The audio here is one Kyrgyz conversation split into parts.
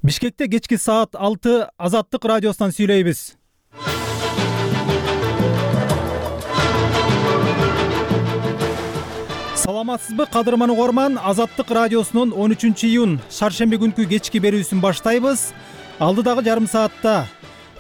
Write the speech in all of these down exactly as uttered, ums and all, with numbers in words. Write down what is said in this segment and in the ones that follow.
Бишкекте кечки саат алты Азаттык радиосунан сүйлөйбүз. Саламатсызбы кадырман угарман, Азаттык радиосунун он үчүнчү июнь шаршемби күнкү кечки берүүсүн баштайбыз. Алдыдагы жарым саатта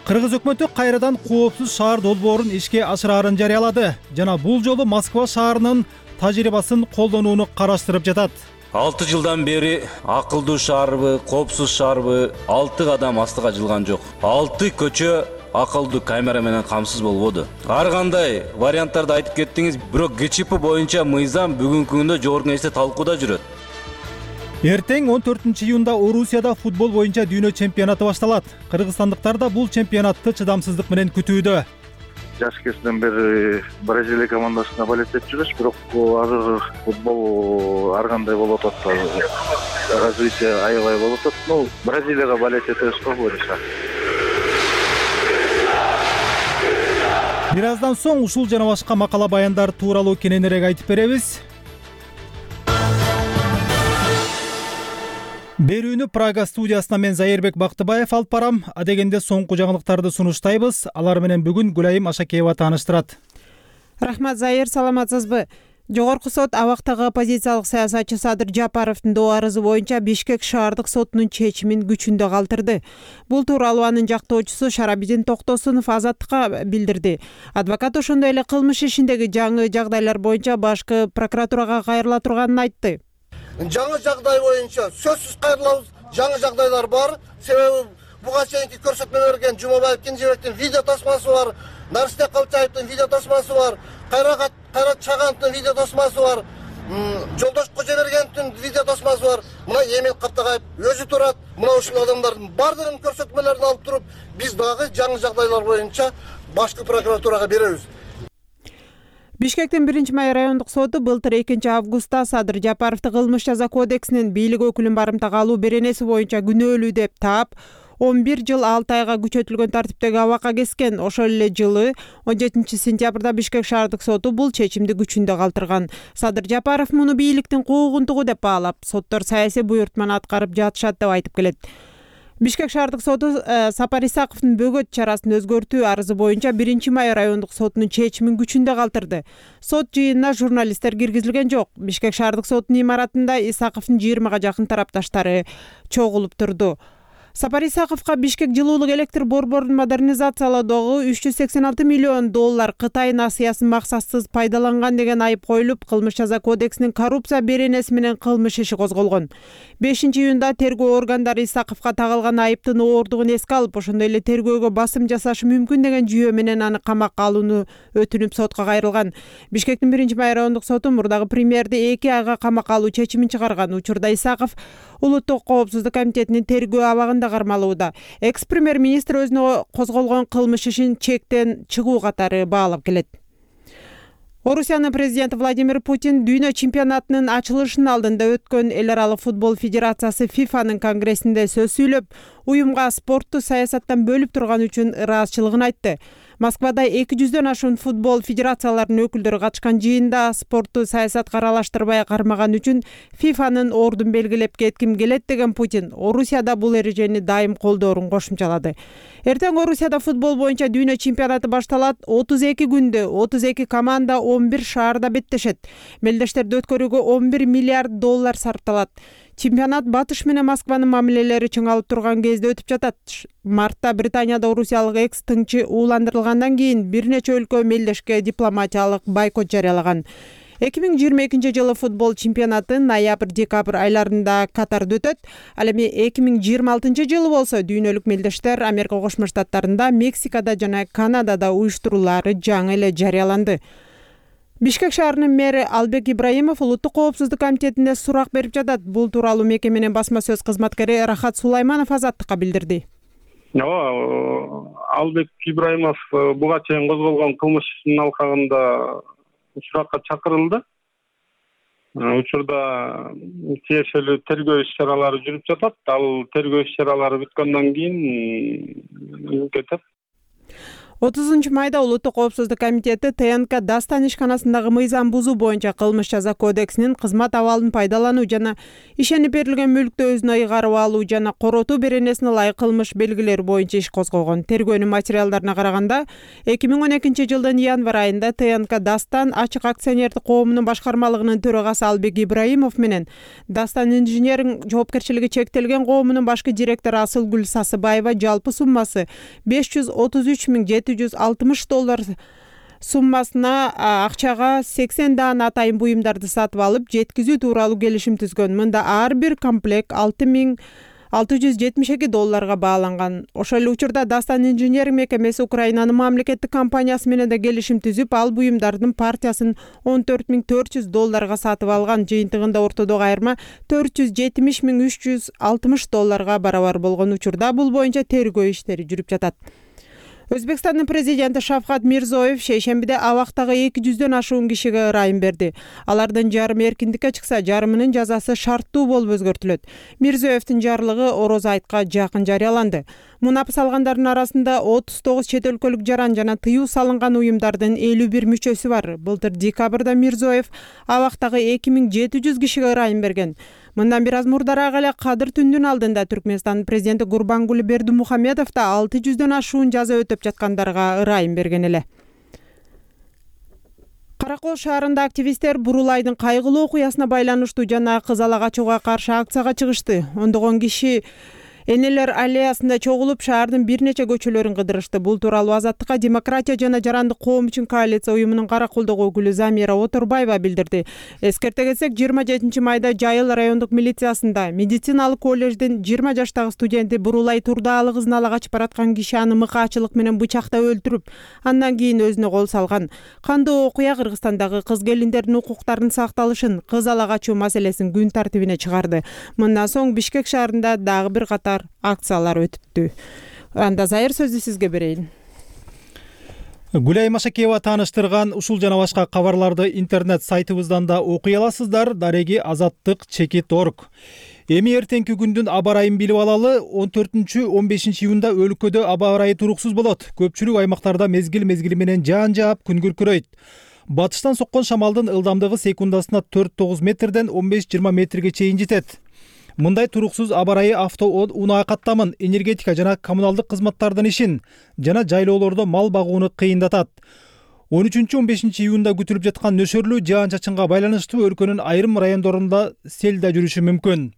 Кыргыз өкмөтү кайрадан коопсуз шаар долбоорун ишке ашыраарын жарыялады жана бул жолу Москва шаарынын тажрыйбасын колдонууну караштырып жатат. алты жылдан бери акылдуу шаарбы, коопсуз шаарбы алты кадам астыга жылган жок. алты көчө акылдуу камера менен камсыз болбоду. Ар кандай варианттарды айтып кеттиңиз, бирок ГЧП боюнча мыйзам бүгүнкү күндө жогорку кеңеште талкууда жүрөт. Эртең он төртүнчү июнда Орусияда футбол боюнча дүйнө чемпионаты башталат. Кыргызстандыктар да бул чемпионатты чыдамсыздык менен күтүүдө. Жаш кезинен бери Бразилия командасына болеть этип жүрөбүз, бирок азыр футбол ар кандай болуп атат. Развитие аябай болуп атат. Ну, Бразилияга болеть этебиз го буюрса. Бир аздан соң ушул жана башка макала баяндар тууралуу кененирээк айтып беребиз. Берүүнү Прага студиясынан мен Зайырбек Бактыбаев алып барам. Адегенде соңку жаңылыктарды сунуштайбыз. Алар менен бүгүн Гүлайым Ашакеева тааныштырат. Рахмат, Зайыр, саламатсызбы? Жогорку сот абактагы оппозициялык саясатчы Садыр Жапаровдун доо арызы боюнча Бишкек шаардык сотунун чечимин күчүндө калтырды. Бул тууралуу анын жактоочусу Шарабидин Токтосунов Азаттыкка билдирди. Адвокат ошондой эле кылмыш ишиндеги жаңы жагдайлар боюнча башкы прокуратурага кайрыла турганын айтты. Жаңы жагдай боюнча сөзсүз кайрылабыз. Жаңы жагдайлар бар. Себеби буга чейинки көрсөтмө берген Жумабаев Кенжебектин видео тасмасы бар, Нарсте Калчаевдин видео тасмасы бар, Кайрат Кайрат Чагановдун видео тасмасы бар, Жолдош Кожобергеновдун видео тасмасы бар. Мына Эмил Каптагаев өзү турат. Мына ушул адамдардын бардыгын көрсөтмөлөрүн алып туруп, биз дагы жаңы жагдайлар боюнча башкы прокуратурага беребиз. Бишкектин биринчи май райондук соту былтыр экинчи августта Садыр Жапаровду кылмыш жаза кодексинин бийлик өкүлүн барымтага алуу беренеси боюнча күнөөлүү деп таап, он бир жыл алты айга күчөтүлгөн тартиптеги абакка кескен. Ошол эле жылы он жетинчи сентябрда Бишкек шаардык соту бул чечимди күчүндө калтырган. Садыр Жапаров муну бийликтин куугунтугу деп баалап, соттор саясий буйртманы аткарып жатышат деп айтып келет. Бишкек шаардык соту Сапар Исаковдун бөгөт чарасын өзгөртүү арызы боюнча биринчи май райондук сотунун чечимин күчүндө калтырды. Сот жыйынына журналисттер киргизилген жок. Бишкек шаардык сотунун имаратында Исаковдун жыйырмага жакын тарапташтары чогулуп турду. Сапар Исаковго Бишкек жылуулук электр борборун модернизациялоодогу үч жүз сексен алты миллион доллар Кытай насыясын максатсыз пайдаланган деген айып коюлуп, кылмыш жаза кодексинин коррупция беренеси менен кылмыш иши козголгон. бешинчи июнда тергөө органдары Исаковго тагылган айыптын оордугун эске алып, ошондой эле тергөөгө басым жасашы мүмкүн деген жүйө менен аны камакка алууну өтүнүп сотко кайрылган. Бишкектин биринчи май райондук соту мурдагы премьерди эки айга камакка алуу чечимин чыгарган. Учурда Исаков Улуттук коопсуздук комитетинин тергөө абагында кармалууда. Экс-премьер-министр өзүнө козголгон кылмыш ишин чектен чыгуу катары баалап келет. Орусиянын президенти Владимир Путин дүйнө чемпионатынын ачылышынын алдында өткөн эл аралык футбол федерациясы фифанын конгрессинде сөз сүйлөп, уюмга спортту саясаттан бөлүп турган үчүн ыраазычылыгын айтты. Москвада эки жүздөн ашуун футбол федерацияларынын өкүлдөрү катышкан жыйында спортту саясатка аралаштырбай кармаган үчүн фифанын ордун белгилеп кетким келет деген Путин Орусияда бул эрежени дайым колдоорун кошумчалады. Эртең Орусияда футбол боюнча дүйнө чемпионаты башталат. отуз эки күндө отуз эки команда он бир шаарда беттешет. Мелдештерди өткөрүүгө он бир миллиард доллар сарпталат. Чемпионат Батыш менен Москванын мамилелери чыңалып турган кезде өтүп жатат. Мартта Британияда орусиялык экс-тыңчы ууландырылгандан кийин бир нече өлкө мелдешке дипломатиялык бойкот жарыялаган. эки миң жыйырма экинчи жылы футбол чемпионаты ноябрь-декабрь айларында Катарда өтөт. Ал эми эки миң жыйырма алтынчы жылы болсо дүйнөлүк мелдештер Америка Кошмо Штаттарында, Мексикада жана Канадада уюштуруулары жаңы эле жарыяланды. Бишкек шаарынын мэри Албек Ибраимов Улуттук коопсуздук комитетине сурак берип жатат. Бул тууралуу мекеменин басма сөз кызматкери Рахат Сулайманов Азаттыкка билдирди. Ооба, Албек Ибраимов буга чейин козголгон кылмыш ишинин алкагында суракка чакырылды. Учурда тиешелүү тергөө иш-чаралары жүрүп жатат. Ал тергөө иш-чаралары бүткөндөн кийин кетет. отузунчу майда Улуттук коопсуздук комитети ТНК Дастан ишканасындагы мыйзам бузуу боюнча кылмыш жаза кодексинин кызмат абалын пайдалануу жана ишенип берилген мүлктү өзүнө ыйгарып алуу жана коротуу беренесине ылайык кылмыш белгилери боюнча иш козгогон. Тергөөнүн материалдарына караганда эки миң он экинчи жылдын январь айында ТНК Дастан ачык акционердик коомунун башкармалыгынын төрагасы Албек Ибраимов менен Дастан инженеринг жоопкерчилиги чектелген коомунун башкы директору Асылгүл Сасыбаева жалпы суммасы беш жүз отуз үч миң жети жүз алтымыш доллар суммасына акчага сексен даана атайын буюмдарды сатып алып жеткизүү тууралуу келишим түзгөн. Мында ар бир комплект алты миң алты жүз жетимиш эки долларга бааланган. Ошол эле учурда Дастан инженеринг мекемеси Украинанын мамлекеттик компаниясы менен да келишим түзүп, ал буюмдардын партиясын он төрт миң төрт жүз долларга сатып алган. Жыйынтыгында ортодогу айырма төрт жүз жетимиш миң үч жүз алтымыш долларга барабар болгон. Учурда бул боюнча тергөө иштери жүрүп жатат. Өзбекстандын президенти Шавкат Мирзиёев шейшембиде абактагы эки жүздөн ашуун кишиге ырайым берди. Алардын жарымы эркиндикке чыкса, жарымынын жазасы шарттуу болуп өзгөртүлөт. Мирзиёевдин жарлыгы Ороз айтка жакын жарыяланды. Мунапыс алгандардын арасында отуз тогуз чет өлкөлүк жаран жана тыюу салынган уюмдардын элүү бир мүчөсү бар. Былтыр декабрда Мирзиёев абактагы эки миң жети жүз кишиге ырайым берген. Мындан бир аз мурдараак эле Кадыр түндүн алдында Түркмөнстандын президенти Гурбангулы Бердимухамедов да алты жүздөн ашуун жаза өтөп жаткандарга ырайым берген эле. Каракол шаарында активисттер Бурулайдын кайгылуу окуясына байланыштуу жана кызалак ачууга каршы акцияга чыгышты. Ондогон киши Энелер аллеясында чогулуп шаардын бир нече көчөлөрүн кыдырышты. Бул тууралуу Азаттыкка демократия жана жарандык коом үчүн коалиция уюмунун Караколдогу өкүлү Замира Оторбаева билдирди. Эскерте кетсек, жыйырма жетинчи майда Жайыл райондук милициясында медициналык коллеждин жыйырма жаштагы студенти Бурулай Турдаалы кызын ала качып бараткан киши аны мыкаачылык менен бычактап өлтүрүп, андан кийин өзүнө кол салган. Кандуу окуя Кыргызстандагы кыз келиндердин укуктарынын сакталышын, кыз ала качуу маселесин күн тартибине чыгарды. Мындан соң Бишкек шаарында дагы бир катар акциялар өтүптү. Анда Зайыр сөздү сизге берейин. Гүлай Машакеева тааныштырган ушул жана башка кабарларды интернет сайтыбыздан да окуй аласыздар. Дареги азаттык чекит точка орг. Эми эртеңки күндүн аба ырайын билип алалы. он төртүнчү он бешинчи июнда өлкөдө аба ырайы туруксуз болот. Көпчүлүк аймактарда мезгил мезгили менен жаан жаап, күн күркүрөйт. Батыштан соккон шамалдын ылдамдыгы секундасына төрт тогуз метрден он беш жыйырма метрге чейин жетет. Мындай туруксуз аба ырайы авто унаа каттамын, энергетика жана коммуналдык кызматтардын ишин жана жайлоолордо мал багууну кыйындатат. он үчүнчү он бешинчи июнда күтүлүп жаткан нөшөрлүү жаан-чачынга байланыштуу өлкөнүн айрым райондорунда сел да жүрүшү мүмкүн.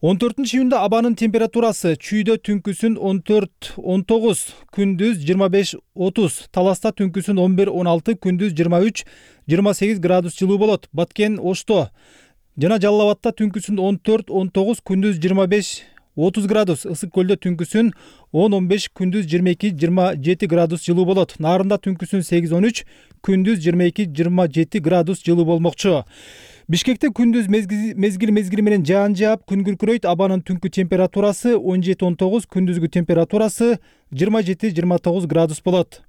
он төртүнчү июнда абанын температурасы чүйдө түнкүсүн он төрт он тогуз, күндүз жыйырма беш отуз, Таласта түнкүсүн он бир он алты, күндүз жыйырма үч жыйырма сегиз градус жылуу болот. Баткен, Ошто жана Жалал Абадта түнкүсүн он төрт он тогуз, күндүз жыйырма беш отуз градус, Ысык Көлдө түнкүсүн он он беш, күндүз жыйырма эки жыйырма жети градус жылуу болот. Нарында түнкүсүн сегиз он үч, күндүз жыйырма эки жыйырма жети градус жылуу болмокчу. Бишкекте күндүз мезгил мезгили менен жаан жаап, күн күркүрөйт. Абанын түнкү температурасы он жети он тогуз, күндүзгү температурасы жыйырма жети жыйырма тогуз градус болот.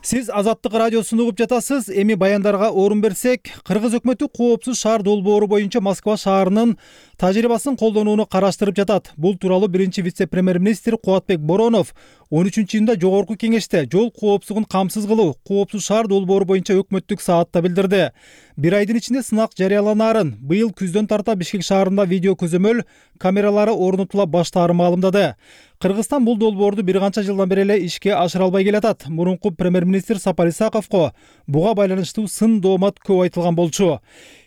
Сиз Азаттык радиосун угуп жатасыз. Эми баяндарга орун берсек, Кыргыз өкмөтү коопсуз шаар долбоору боюнча Москва шаарынын тажрыйбасын колдонууну караштырып жатат. Бул тууралуу биринчи вице-премьер-министр Кубатбек Боронов он үчүнчү июнда жогорку кеңеште жол коопсуздугун камсыз кылуу, коопсуз шаар долбоору боюнча өкмөттүк саатта билдирди. Бир айдын ичинде сынак жарыяланаарын, быйыл күздөн тарта Бишкек шаарында видео көзөмөл камералары орнотула баштаарын маалымдады. Кыргызстан бул долбоорду бир канча жылдан бери эле ишке ашыра албай келатат. Мурунку премьер-министр Сапар Исаковго буга байланыштуу сын доомат көп айтылган болчу.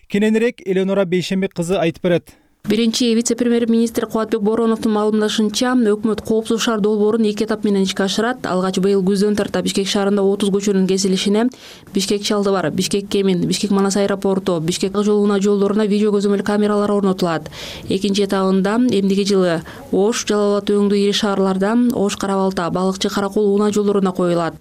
Кененирээк Эленора Бейшембек кызы айтып берет. Биринчи вице-премьер-министр Кубатбек Бороновдун маалымдашынча, өкмөт коопсуз шаар долбоорун эки этап менен ишке ашырат. Алгач быйыл күздөн тарта Бишкек шаарында отуз көчөнүн кесилишине Бишкек Чалдыбар, Бишкек Кемин, Бишкек Манас аэропорту, Бишкек жолуна жолдоруна видео көзөмөл камералары орнотулат. Экинчи этабында эмдиги жылы Ош, Жалал Абад өңдүү ири шаарларда Ош, Кара Балта, Балыкчы, Каракол унаа жолдоруна коюлат.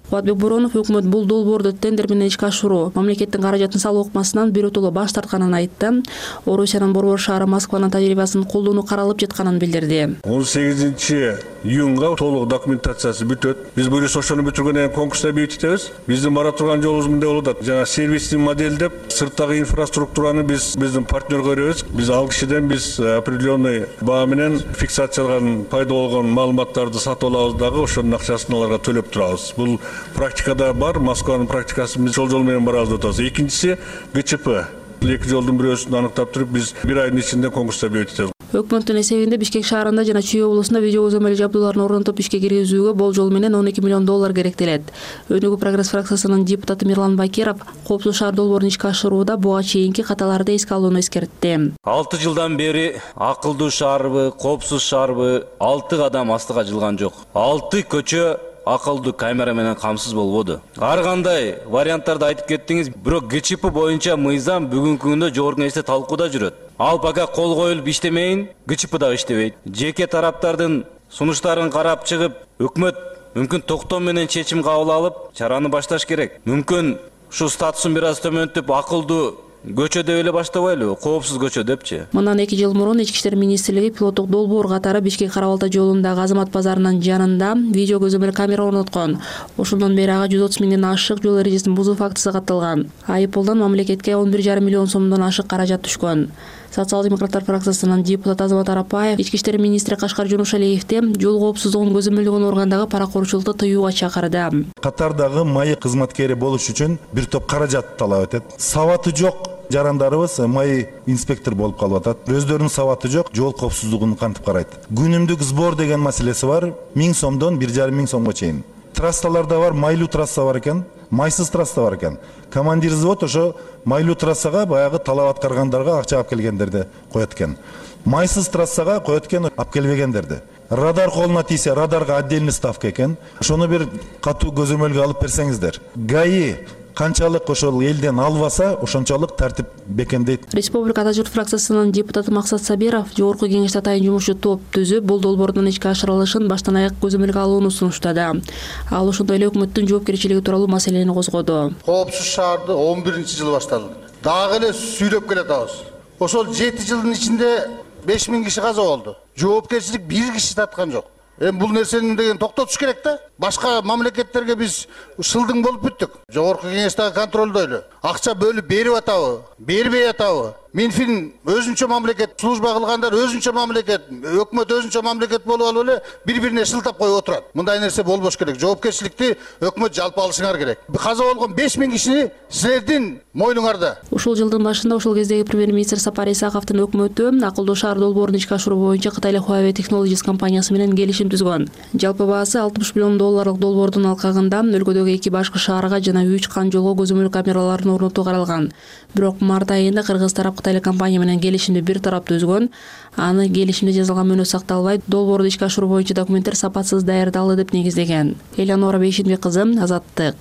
Кубатбек Боронов өкмөт бул долбоорду тендер менен ишке ашыруу, мамлекеттин каражатын салуу ыкмасынан биротоло баш тартканын айтты. Орусиянын борбор шаары Москванын тажрыйбасын колдонуу каралып жатканын билдирди. он сегизинчи июнга толук документациясы бүтөт. Биз буюрса ошону бүтүргөндөн кийин конкурста бекитебиз. Биздин бара турган жолубуз мындай болуп атат. Жана сервисти моделдеп, сырттагы инфраструктураны биз биздин партнерге беребиз. Биз ал кишиден биз определенный баа менен фиксацияланган пайда болгон маалыматтарды сатып алабыз дагы ошонун акчасын аларга төлөп турабыз. Бул практикада бар, Москванын практикасын биз ошол жол менен барабыз деп атабыз. Экинчиси ГЧП. Эки жолдун бирөөсүн аныктап туруп биз бир айдын ичинде конкурста бекитебиз. Өкмөттүн эсебинде Бишкек шаарында жана Чүй облусунда видео көзөмөл жабдууларын орнотуп ишке киргизүүгө болжол менен он эки миллион доллар керектелет. Өнүгүү прогресс фракциясынын депутаты Мирлан Бакиров коопсуз шаар долбоорун ишке ашырууда буга чейинки каталарды эске алууну эскертти. алты жылдан бери акылдуу шаарбы, коопсуз шаарбы алты кадам астыга жылган жок. алты көчө акылдуу камера менен камсыз болбоду. Ар кандай варианттарды айтып кеттиңиз, бирок ГЧП боюнча мыйзам бүгүнкү күндө жогорку кеңеште талкууда жүрөт. Ал пока кол коюлуп иштемейин, ГЧП дагы иштебейт. Жеке тараптардын сунуштарын карап чыгып, өкмөт мүмкүн токтом менен чечим кабыл алып, чараны башташ керек. Мүмкүн ушу статусун бир аз төмөнтүп, акылдуу көчө деп эле баштабайлыбы, коопсуз көчө депчи. Мындан эки жыл мурун Ички иштер министрлиги пилоттук долбоор катары Бишкек Кара-Балта жолундагы Азамат базарынын жанында видео көзөмөл камера орноткон. Ошондон бери ага жүз отуз миңден ашык жол эрежесин бузуу фактысы катталган. Айыппулдан мамлекетке он бир жарым миллион сомдон ашык каражат түшкөн. Социал-демократтар фракциясынын депутаты Азамат Арапаев Ички иштер министри Кашкар Жунушалиевди жол коопсуздугун көзөмөлдөгөн органдагы паракорчулукту тыюуга чакырды. Катардагы майы кызматкери болуш үчүн бир топ каражат талап этет. Сабаты жок жарандарыбыз майы инспектор болуп калып атат. Өздөрүнүн сабаты жок, жол коопсуздугун кантип карайт. Күнүмдүк сбор деген маселеси бар. миң сомдон бир жарым миң сомго чейин. Трассаларда бар, майлуу трасса бар экен, майсыз трасса бар экен. Командир взвод ошо майлуу трассага баягы талап аткаргандарга акча алып келгендерди коет экен. Майсыз трассага коет экен, алып келбегендерди. Радар колуна тийсе, радарга отдельный ставка экен. Ошону бир катуу көзөмөлгө алып берсеңиздер. ГАИ канчалык ошол элден албаса, ошончолук тартип бекемдейт. Республика Ата журт фракциясынын депутаты Максат Сабиров жогорку кеңеште атайын жумушчу топ түзүп, бул долбоордун ишке ашырылышын баштан аяк көзөмөлгө алууну сунуштады. Ал ошондой эле өкмөттүн жоопкерчилиги тууралуу маселени козгоду. Коопсуз шаарды он биринчи жылы башталды. Дагы эле сүйлөп келатабыз. Ошол жети жылдын ичинде беш миң киши каза болду. Жоопкерчилик бир киши тарткан жок. Эми бул нерсени деген токтотуш керек да. Башка мамлекеттерге биз шылдың болуп бүттүк. Жогорку кеңештеги контролдойлу. Акча бөлүп берип атабы, бербей атабы. Минфин өзүнчө мамлекет, служба кылгандар өзүнчө мамлекет, өкмөт өзүнчө мамлекет болуп алып эле бири-бирине шылтап коюп отурат. Мындай нерсе болбош керек. Жоопкерчиликти өкмөт жалпы алышыңар керек. Каза болгон беш миң кишини силердин мойнуңарда. Ушул жылдын башында ошол кездеги премьер-министр Сапар Исаковдун өкмөтү акылдуу шаар долбоорун ишке ашыруу боюнча Кытайлык Huawei Technologies компаниясы менен келишим түзгөн. Жалпы баасы алтымыш миллион долларлык долбоордун алкагында өлкөдөгү эки башкы шаарга жана үч кан жолго көзөмөл камераларын орнотуу каралган. Бирок март айында кыргыз тарап Кытайлык компания менен келишимди бир тарап түзгөн. Аны келишимде жазылган мөөнөт сакталбай, долбоорду ишке ашыруу боюнча документтер сапатсыз даярдалды деп негиздеген. Элеонора Бейшинбек кызы, Азаттык.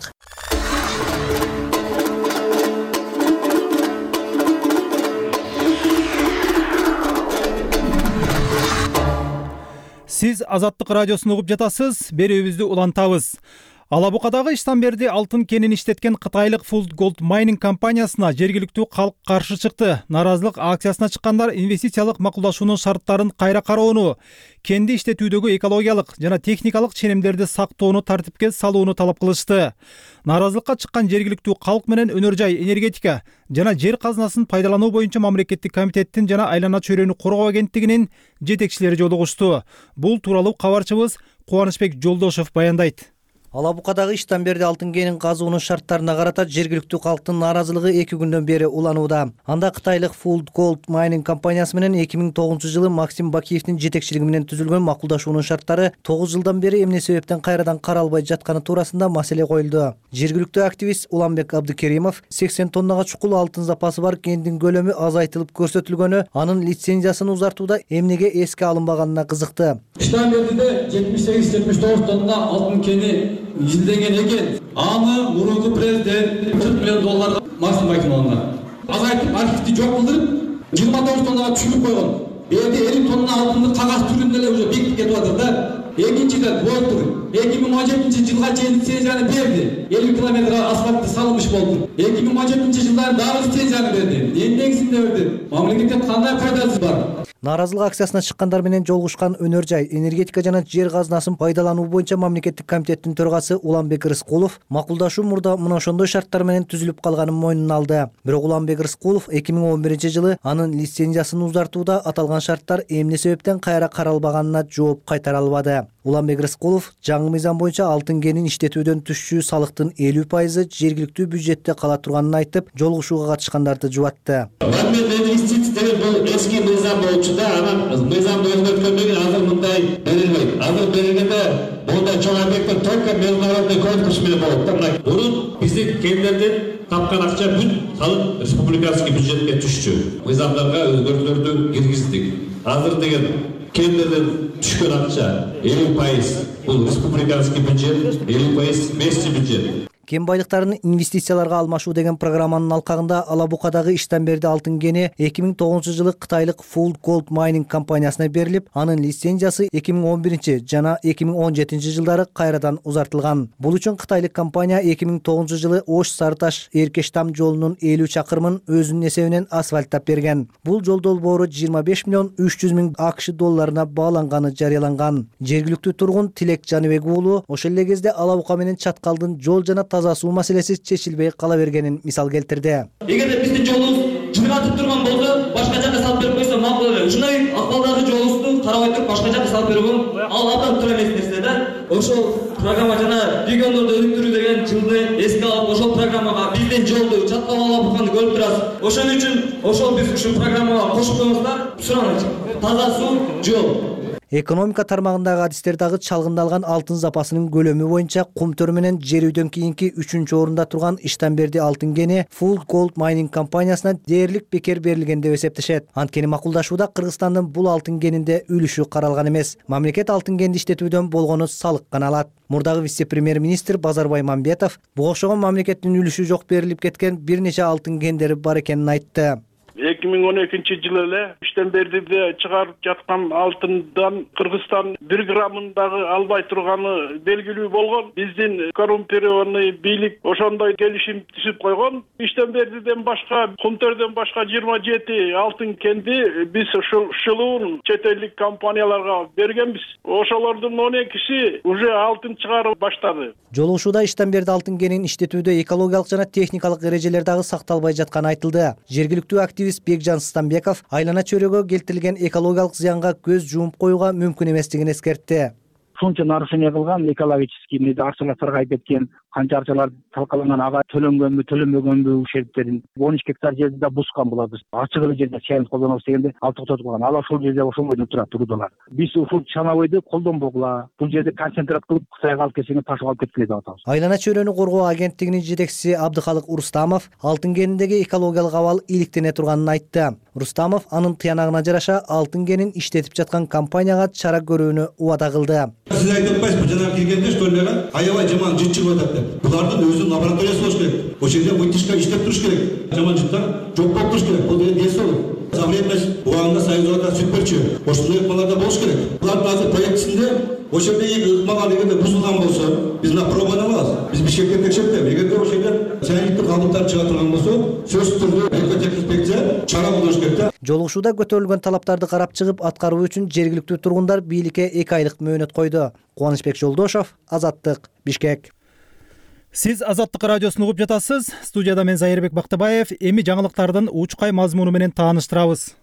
Сиз Азаттык радиосун угуп жатасыз, берүүбүздү улантабыз. Алабукадагы Иштамберди алтын кенин иштеткен кытайлык Full Gold Mining компаниясына жергиликтүү калк каршы чыкты. Наразылык акциясына чыккандар инвестициялык макулдашуунун шарттарын кайра кароону, кенди иштетүүдөгү экологиялык жана техникалык ченемдерди сактоону тартипке салууну талап кылышты. Наразылыкка чыккан жергиликтүү калк менен өнөр жай, энергетика жана жер казынасын пайдалануу боюнча мамлекеттик комитеттин жана айлана чөйрөнү коргоо агенттигинин жетекчилери жолугушту. Бул тууралуу кабарчыбыз Кубанычбек Жолдошов баяндайт. Алабукадагы Иштамберди алтын кенин казуунун шарттарына карата жергиликтүү калктын нааразылыгы эки күндөн бери уланууда. Анда кытайлык Full Gold Mining компаниясы менен эки миң тогузунчу жылы Максим Бакиевдин жетекчилиги менен түзүлгөн макулдашуунун шарттары тогуз жылдан бери эмне себептен кайрадан каралбай жатканы туурасында маселе коюлду. Жергиликтүү активист Уланбек Абдыкеримов сексен тоннага чукул алтын запасы бар кендин көлөмү азайтылып көрсөтүлгөнү, анын лицензиясын узартууда эмнеге эске алынбаганына кызыкты. Иштамбердиде жетимиш сегиз жетимиш тогуз тонна алтын кени изилдеген экен. Аны мурунку президент кырк миллион долларга Максим Бакиевге азайтып архивди жок кылдырып жыйырма тогуз тоннага түшүрүп койгон. Эми элүү тонна алтынды кагаз түрүндө эле уже бекитип кетип атат да. Экинчиден болуптур. эки миң он жетинчи жылга чейин лицензияны берди. элүү километр асфальт салынмыш болду. эки миң он жетинчи жылдан дагы лицензияны берди. Эмне негизинде берди? Мамлекетке кандай пайдасы бар? Нааразылык акциясына чыккандар менен жолугушкан Өнөр жай, энергетика жана жер казынасын пайдалануу боюнча мамлекеттик комитеттин төрагасы Уланбек Рыскулов макулдашуу мурда мына ошондой шарттар менен түзүлүп калганын мойнуна алды. Бирок Уланбек Рыскулов эки миң он биринчи жылы анын лицензиясын узартууда аталган шарттар эмне себептен кайра каралбаганына жооп кайтара албады. Уланбек Рыскулов жаңы мыйзам боюнча алтын кенин иштетүүдөн түшчү салыктын элүү пайызы жергиликтүү бюджетте кала турганын айтып, жолугушууга катышкандарды жубатты. Бул эски мыйзам болчу да, анан мыйзамды өзгөрткөндөн кийин азыр мындай берилбейт. Азыр берилгенде мындай чоң объекттер только международный конкурс менен болот да. Мына мурун биздин кендерден тапкан акча бүт салык республиканский бюджетке түшчү. Мыйзамдарга өзгөртүүлөрдү киргиздик. Азыр деген кендерден түшкөн акча элүү пайыз бул республиканский бюджет, элүү пайыз местный бюджет. Кен байлыктарын инвестицияларга алмашуу деген программанын алкагында Ала Букадагы Иштенберди алтын кени эки миң тогузунчу жылы Кытайлык Full Gold Mining компаниясына берилип, анын лицензиясы эки миң он биринчи жана эки миң он жетинчи жылдары кайрадан узартылган. Бул үчүн Кытайлык компания эки миң тогузунчу жылы Ош Сары Таш Эркештам жолунун элүү чакырымын өзүнүн эсебинен асфальттап берген. Бул жол долбоору жыйырма беш миллион үч жүз миң АКШ долларына бааланганы жарыяланган. Жергиликтүү тургун Тилек Жаныбек уулу ошол эле кезде Ала Бука менен Чаткалдын жол жана таза суу маселеси чечилбей кала бергенин мисал келтирди. Эгерде биздин жолубуз жыргатып турган болсо, башка жакка салып берип койсо макул эле. Ушундай акыбалдагы жолубузду карабай туруп башка жакка салып берүү ал абдан туура эмес нерсе да. Ошол программа жана региондорду өнүктүрүү деген жылды эске алып, ошол программага биздин жолду Чаткал Ала Буканы көрүп турасыз. Ошон үчүн ошол биз ушул программага кошуп коюңуздар. Сураныч, таза суу, жол. Экономика тармагындагы адистер дагы чалгындалган алтын запасынын көлөмү боюнча кумтөр менен жер үйдөн кийинки үчүнчү орунда турган Иштенберди алтын кени Full Gold Mining компаниясына дээрлик бекер берилген деп эсептешет. Анткени макулдашууда Кыргызстандын бул алтын кенинде үлүшү каралган эмес. Мамлекет алтын кенди иштетүүдөн болгону салык гана алат. Мурдагы вице-премьер-министр Базарбай Мамбетов буга окшогон мамлекеттин үлүшү жок берилип кеткен бир нече алтын кендери бар экенин айтты. эки миң он экинчи жылы эле Иштенбердиде чыгарып жаткан алтындан Кыргызстан бир граммын дагы албай турганы белгилүү болгон. Биздин коррумпированный бийлик ошондой келишим түзүп койгон. Иштенбердиден башка, Кумтөрдөн башка жыйырма жети алтын кенди биз ушул шылуун чет элдик компанияларга бергенбиз. Ошолордун он экиси уже алтын чыгарып баштады. Жолугушууда Иштенберди алтын кенин иштетүүдө экологиялык жана техникалык эрежелер дагы сакталбай жатканы айтылды. Жергиликтүү активист Бекжан Станбеков айлана чөйрөгө келтирилген экологиялык зыянга көз жумуп коюуга мүмкүн эместигин эскертти. Ушунча нарушение кылган, экологический мээде арчалар саргайып кеткен, канча арчалар талкаланган, ага төлөнгөнбү, төлөнбөгөнбү ушерптерин он үч гектар жерди да бускан булабыз. Ачык эле жерде чайын колдонобуз дегенде ал токтотуп калган. Ал ошол жерде ошол бойдон турат турдулар. Биз ушул чанабойду колдонбогула, бул жерде концентрат кылып Кытайга алып кетсеңер ташып алып кеткиле деп атабыз. Айлана чөйрөнү коргоо агенттигинин жетекчиси Абдыхалык Урустамов алтын кениндеги экологиялык абал иликтене турганын айтты. Урустамов анын тыянагына жараша алтын кенин иштетип жаткан компанияга чара көрүүнү убада кылды. Siz aytып атпайсызбы, жана келгенде школлерге аябай жаман жыт чыгып атат деп. Булардын өзүнүн лабораториясы болуш керек. Ошол жерде вытяжка иштеп туруш керек. Жаман жыттар жок болуп туруш керек. Бул деген десо. За время убагында Союзда сүт берчү. Ошондой ыкмаларда болуш керек. Булардын азыр проектисинде ошол жерде ыкмалар дегенде бузулган болсо, биз мына пробаны алабыз. Биз Бишкекте текшертип, эгерде ошол жерде чайниктик калдыктар чыга турган болсо, сөзсүз түрдө экотехинспекция чара колдош керек да. Жолугушууда көтөрүлгөн талаптарды карап чыгып, аткаруу үчүн жергиликтүү тургундар бийликке эки айлык мөөнөт койду. Кубанычбек Жолдошов, Азаттык, Бишкек. Сиз Азаттык радиосун угуп жатасыз. Студияда мен Зайырбек Бактыбаев. Эми жаңылыктардын учкай мазмуну менен тааныштырабыз.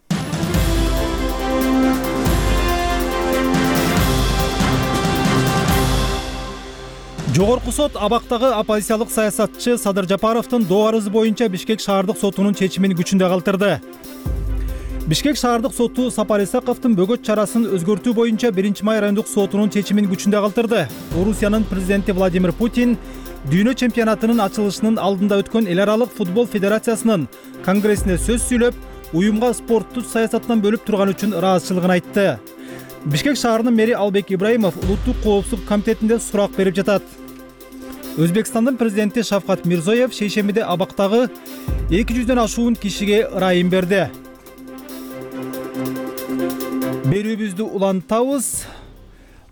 Жогорку сот Абактагы оппозициялык саясатчы Садыр Жапаровдун доо арызы боюнча Бишкек шаардык сотунун чечимин күчүндө калтырды. Бишкек шаардык соту Сапар Исаковдун бөгөт чарасын өзгөртүү боюнча биринчи май райондук сотунун чечимин күчүндө калтырды. Орусиянын президенти Владимир Путин дүйнө чемпионатынын ачылышынын алдында өткөн эл аралык футбол федерациясынын конгрессине сөз сүйлөп, уюмга спортту саясаттан бөлүп турган үчүн ыраазычылыгын айтты. Бишкек шаарынын мэри Албек Ибраимов улуттук коопсуздук комитетинде сурак берип жатат. Өзбекстандын президенти Шавкат Мирзоев шейшембиде Абактагы эки жүздөн ашуун кишиге ырайым берди. Берүүбүздү улантабыз.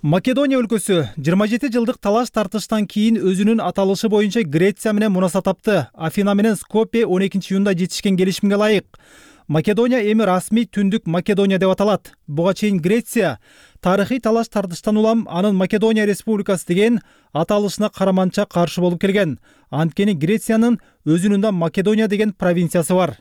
Македония өлкөсү жыйырма жети жылдык талаш тартыштан кийин өзүнүн аталышы боюнча Греция менен мунасат тапты. Афина менен Скопье он экинчи июнда жетишкен келишимге ылайык Македония эми расмий Түндүк Македония деп аталат. Буга чейин Греция тарыхый талаш тартыштан улам анын Македония Республикасы деген аталышына караманча каршы болуп келген. Анткени Грециянын өзүнүн да Македония деген провинциясы бар.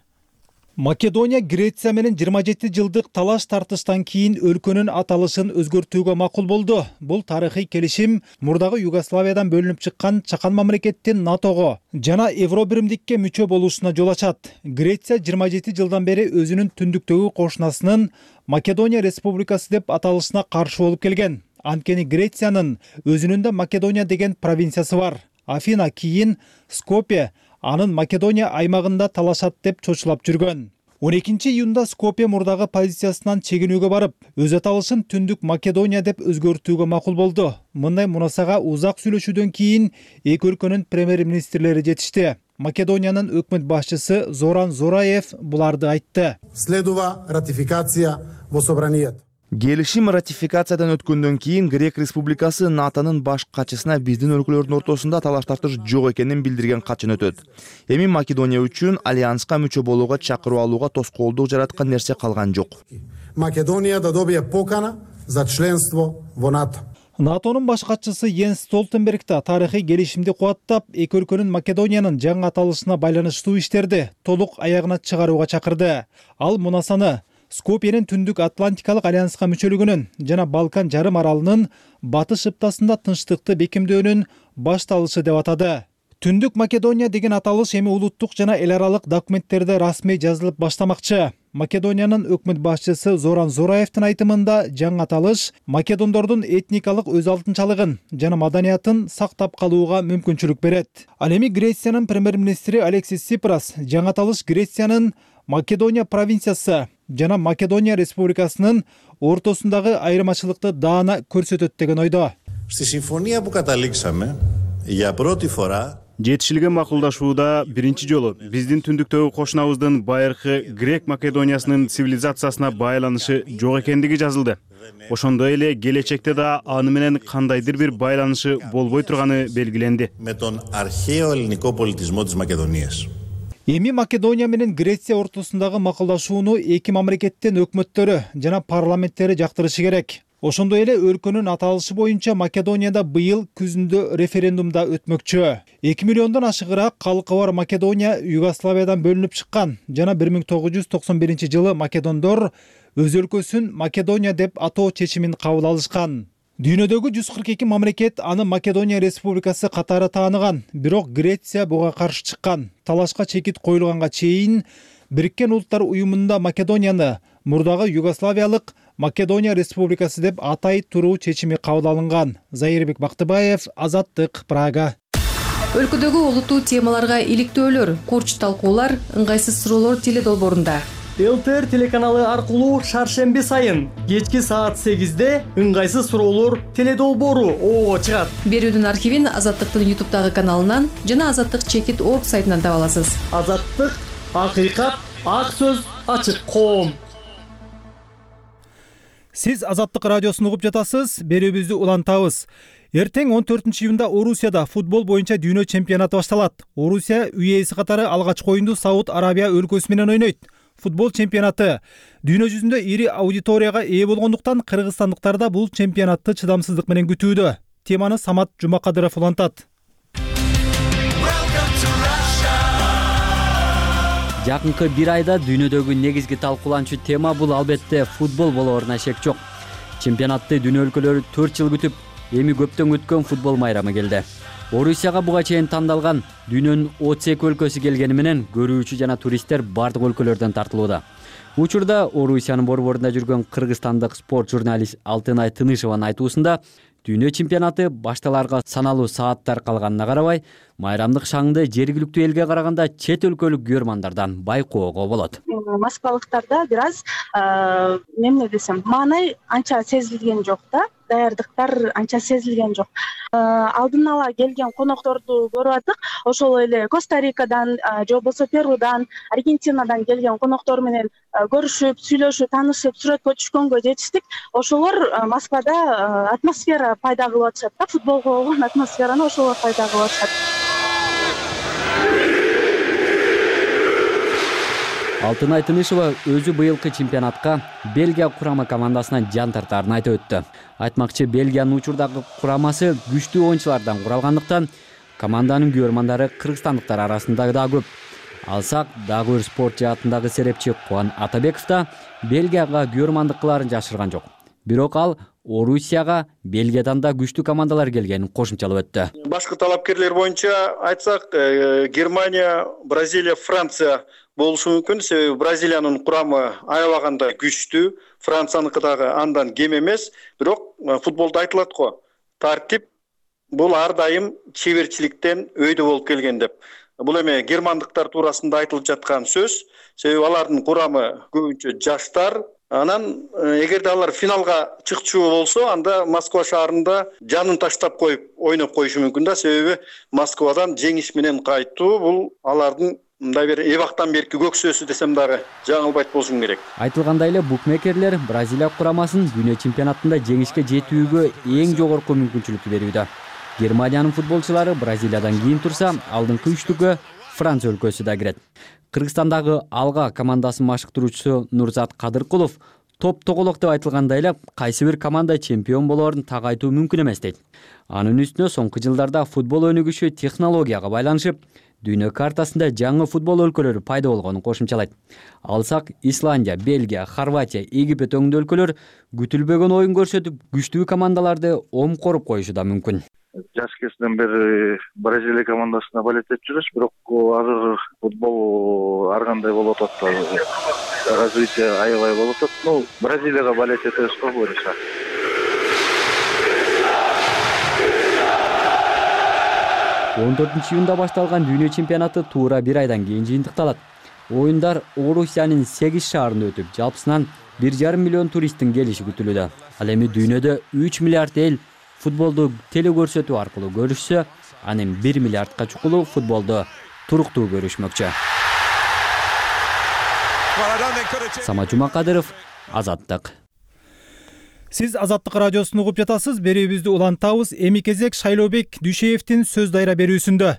Македония Греция менен жыйырма жети жылдык талаш тартыштан кийин өлкөнүн аталышын өзгөртүүгө макул болду. Бул тарыхый келишим мурдагы Югославиядан бөлүнүп чыккан чакан мамлекеттин НАТОго жана Евробиримдикке мүчө болушуна жол ачат. Греция жыйырма жети жылдан бери өзүнүн түндүктөгү кошунасынын Македония Республикасы деп аталышына каршы болуп келген. Анткени Грециянын өзүнүн да Македония деген провинциясы бар. Афина кийин Скопье анын Македония аймагында талашат деп чочулап жүргөн. он экинчи июнда Скопье мурдагы позициясынан чегинүүгө барып, өз аталышын Түндүк Македония деп өзгөртүүгө макул болду. Мындай мунасага узак сүйлөшүүдөн кийин эки өлкөнүн премьер-министрлери жетишти. Македониянын өкмөт башчысы Зоран Зораев буларды айтты. Следува ратификација во собранијата. Келишим ратификациядан өткөндөн кийин Грек Республикасы НАТОнун баш катчысына биздин өлкөлөрдүн ортосунда талаш тартыш жок экенин билдирген катчын өтөт. Эми Македония үчүн альянска мүчө болууга чакыруу алууга тоскоолдук жараткан нерсе калган жок. Македонија да добие покана за членство во НАТО. НАТОнун баш катчысы Йенс Столтенберг да тарыхый келишимди кубаттап, эки өлкөнүн Македониянын жаңы аталышына байланыштуу иштерди толук аягына чыгарууга чакырды. Ал мунасаны Скопьенин Түндүк Атлантикалык альянска мүчөлүгүнүн жана Балкан жарым аралынын батыш ыптасында тынчтыкты бекемдөөнүн башталышы деп атады. Түндүк Македония деген аталыш эми улуттук жана эл аралык документтерде расмий жазылып баштамакчы. Македониянын өкмөт башчысы Зоран Зораевдин айтымында жаңы аталыш македондордун этникалык өз алтынчалыгын жана маданиятын сактап калууга мүмкүнчүлүк берет. Ал эми Грециянын премьер-министри Алексис Сипрас жаңы аталыш Грециянын Македония провинциясы жана Македония Республикасынын ортосундагы айырмачылыкты даана көрсөтөт деген ойдо. Στη συμφωνία που καταλήξαμε για πρώτη φορά жетишилген макулдашууда биринчи жолу биздин түндүктөгү кошунабыздын байыркы Грек Македониясынын цивилизациясына байланышы жок экендиги жазылды. Ошондой эле келечекте да аны менен кандайдыр бир байланышы болбой турганы белгиленди. Με τον αρχαίο ελληνικό πολιτισμό της Μακεδονίας. Эми Македония менен Греция ортосундагы макулдашууну эки мамлекеттин өкмөттөрү жана парламенттери жактырышы керек. Ошондой эле өлкөнүн аталышы боюнча Македонияда быйыл күзүндө референдумда өтмөкчү. эки миллиондон ашыгыраак калкы бар Македония Югославиядан бөлүнүп чыккан жана бир миң тогуз жүз токсон биринчи жылы македондор өз өлкөсүн Македония деп атоо чечимин кабыл алышкан. Дүйнөдөгү жүз кырк эки мамлекет аны Македония Республикасы катары тааныган, бирок Греция буга каршы чыккан. Талашка чекит коюлганга чейин Бириккен Улуттар уюмунда Македонияны мурдагы Югославиялык Македония Республикасы деп атай туруу чечими кабыл алынган. Зайырбек Бактыбаев, Азаттык, Прага. Өлкөдөгү олуттуу темаларга иликтөөлөр, курч талкуулар, ыңгайсыз суроолор теледолбоорунда. ЛТР телеканалы аркылуу шаршемби сайын кечки саат сегизде ыңгайсыз суроолор теледолбоору оого чыгат. Берүүнүн архивин Азаттыктын ютубтагы каналынан жана Азаттык чекит орг сайтынан таба аласыз. Азаттык, акыйкат, ак сөз, ачык коом. Сиз Азаттык радиосун угуп жатасыз, берүүбүздү улантабыз. Эртең он төртүнчү июнда Орусияда футбол боюнча дүйнө чемпионаты башталат. Орусия үй-ээси катары алгачкы оюнду Сауд Арабия өлкөсү менен ойнойт. Футбол чемпионаты дүйнө жүзүндө ири аудиторияга ээ болгондуктан кыргызстандыктар да бул чемпионатты чыдамсыздык менен күтүүдө. Теманы Самат Жумакадыров улантат. Жакынкы бир айда дүйнөдөгү негизги талкууланчу тема бул албетте футбол болооруна шек жок. Чемпионатты дүйнө өлкөлөрү төрт жыл күтүп, эми көптөн күткөн футбол майрамы келди. Орусияга буга чейин тандалган дүйнөнүн отуз эки өлкөсү келгени менен көрүүчү жана туристтер бардык өлкөлөрдөн тартылууда. Учурда Орусиянын борборунда жүргөн кыргызстандык спорт журналист Алтынай Тынышеванын айтуусунда дүйнө чемпионаты башталарга саналуу сааттар калганына карабай, майрамдык шаңды жергиликтүү элге караганда чет өлкөлүк көрмандардан байкоого болот. Москвалыктарда бир аз эмне десем, маанай анча сезилген жок да. даярдыктар анча сезилген жок. Алдын ала келген конокторду көрүп аттык. Ошол эле Коста-Рикадан же болбосо Перудан, Аргентинадан келген коноктор менен көрүшүп, сүйлөшүп, таанышып, сүрөткө түшкөнгө жетиштик. Ошолор Москвада атмосфера пайда кылып атышат да, футболго болгон атмосфераны ошолор пайда кылып атышат. Алтын Айтынышева өзү быйылкы чемпионатка Бельгия курама командасына жан тартаарын айтып өттү. Айтмакчы, Бельгиянын учурдагы курамасы күчтүү оюнчулардан куралгандыктан команданын күйөрмандары кыргызстандыктар арасында да көп. Алсак, дагы бир спорт жаатындагы серепчи Кубан Атабеков да Бельгияга күйөрмандык кыларын жашырган жок. Бирок ал Орусияга Бельгиядан да күчтүү командалар келгенин кошумчалап өттү. Башкы талапкерлер боюнча айтсак, Германия, Бразилия, Франция болушу мүмкүн. Себеби Бразилиянын курамы аябаганда күчтүү, Францияныкы дагы андан кем эмес. Бирок футболдо айтылат го, тартип бул ар дайым чеберчиликтен өйдө болуп келген деп. Бул эме германдыктар туурасында айтылып жаткан сөз. Себеби алардын курамы көбүнчө жаштар. Анан эгерде алар финалга чыкчу болсо, анда Москва шаарында жанын таштап коюп ойноп коюшу мүмкүн да. Себеби Москвадан жеңиш менен кайтуу бул алардын мындай бир эбактан берки көксөөсү десем дагы жаңылбайт болушум керек. Айтылгандай эле букмекерлер Бразилия курамасын дүйнө чемпионатында жеңишке жетүүгө эң жогорку мүмкүнчүлүктү берүүдө. Германиянын футболчулары Бразилиядан кийин турса, алдыңкы үчтүккө Франция өлкөсү да кирет. Кыргызстандагы Алга командасын машыктыруучусу Нурзат Кадыркулов топ тоголок деп айтылгандай эле кайсы бир команда чемпион болоорун так айтуу мүмкүн эмес дейт. Анын үстүнө соңку жылдарда футбол өнүгүшү технологияга байланышып, дүйнө картасында жаңы футбол өлкөлөрү пайда болгонун кошумчалайт. Алсак, Исландия, Бельгия, Хорватия, Египет өңдүү өлкөлөр күтүлбөгөн оюн көрсөтүп, күчтүү командаларды омкоруп коюшу да мүмкүн. Жаш кезинен бери Бразилия командасына балеттеп жүрөбүз, бирок азыр футбол ар кандай болуп атат. Развитие аябай болуп атат. Ну, Бразилияга балет этебиз го буюрса. он төртүнчү июнда башталган дүйнө чемпионаты туура бир айдан кийин жыйынтыкталат. Оюндар Орусиянын сегиз шаарында өтүп, жалпысынан бир жарым миллион туристтин келиши күтүлүүдө. Ал эми дүйнөдө үч миллиард эл футболду телекөрсөтүү аркылуу көрүшсө, анын бир миллиардка чукулу футболду туруктуу көрүшмөкчү. Самат Жумакадыров, Азаттык. Сиз Азаттык радиосун угуп жатасыз. Берүүбүздү улантабыз. Эми кезек Шайлообек Дүйшеевдин сөз дайра берүүсүндө.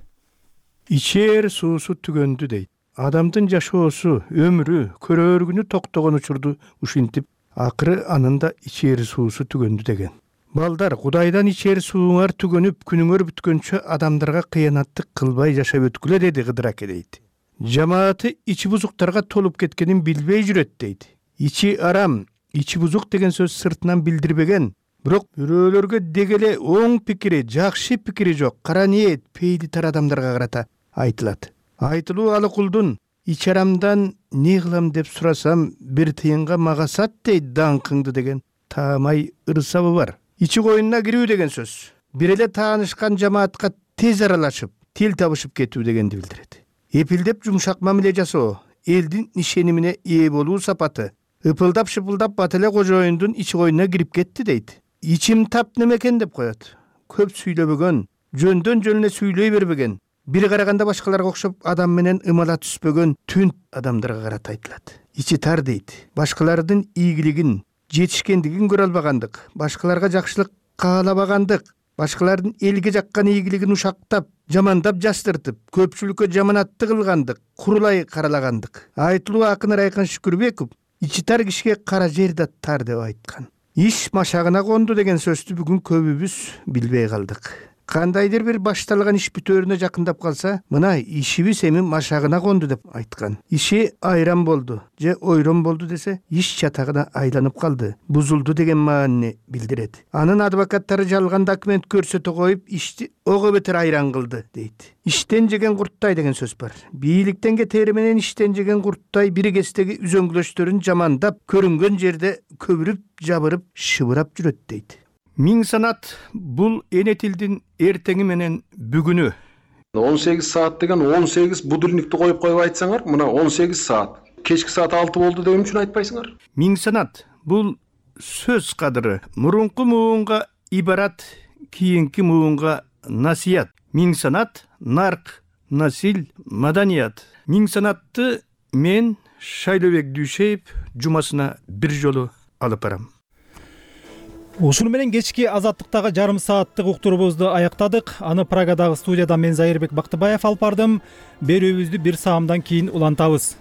Ичээр суусу түгөндү дейт. Адамдын жашоосу, өмүрү, көрөөргүнү токтогон учурду ушинтип, акыры анында ичээр суусу түгөндү деген. Балдар, Кудайдан ичээр сууңар түгөнүп, күнүңөр бүткөнчө адамдарга кыянаттык кылбай жашап өткүлө деди Кыдыр аке дейт. Жамааты ичи бузуктарга толуп кеткенин билбей жүрөт дейт. Ичи арам, ичи бузук деген сөз сыртынан билдирбеген, бирок бирөөлөргө дегеле оң пикири, жакшы пикири жок, кара ниет, пейли тар адамдарга карата айтылат. Айтылуу алы кулдун ичи арамдан не кылам деп сурасам, бир тыйынга мага сат дейт даңкыңды деген таамай ырсабы бар. Ичи коюнуна кирүү деген сөз бир эле таанышкан жамаатка тез аралашып, тил табышып кетүү дегенди билдирет. Эпилдеп жумшак мамиле жасоо, элдин ишенимине ээ болуу сапаты. Ыпылдап шыпылдап бат эле кожоюндун ичи коюнуна кирип кетти дейт. Ичим тап немекен деп коет. Көп сүйлөбөгөн, жөндөн жөнүнө сүйлөй бербеген, бир караганда башкаларга окшоп адам менен ымала түспөгөн түн адамдарга карата айтылат. Ичи тар дейт. Башкалардын ийгилигин, жетишкендигин көрө албагандык, башкаларга жакшылык каалабагандык, башкалардын элге жаккан ийгилигин ушактап, жамандап жастыртып, көпчүлүккө жаманатты кылгандык, курулай каралагандык. Айтылуу акын Райкан Шүкүрбеков ичи тар кишиге кара жер да тар деп айткан. Иш машагына конду деген сөздү бүгүн көбүбүз билбей калдык. Кандайдыр бир башталган иш бүтөөрүнө жакындап калса, мына ишибиз эми машагына конду деп айткан. Иши айран болду же ойрон болду десе, иш чатагына айланып калды, бузулду деген маанини билдирет. Анын адвокаттары жалган документ көрсөтө коюп, ишти ого бетер айран кылды дейт. Иштен жеген курттай деген сөз бар. Бийликтен кетери менен иштен жеген курттай бири кездеги үзөңгүлөштөрүн жамандап, көрүнгөн жерде көбүрүп, жабырып, шыбырап жүрөт дейт. Миң санат бул эне тилдин эртеңи менен бүгүнү. он сегиз саат деген он сегиз будильникти коюп коюп айтсаңар, мына он сегиз саат. Кечки саат алты болду деген үчүн айтпайсыңар. Миң санат бул сөз кадыры. Мурунку муунга ибарат, кийинки муунга насият. Миң санат, нарк, насил, маданият. Миң санатты мен Шайлообек Дүйшеев жумасына бир жолу алып барам. Ушуну менен кечки азаттыктагы жарым сааттык уктуруубузду аяктадык. Аны Прагадагы студиядан мен Зайырбек Бактыбаев алып бардым. Берүүбүздү бир саамдан кийин улантабыз.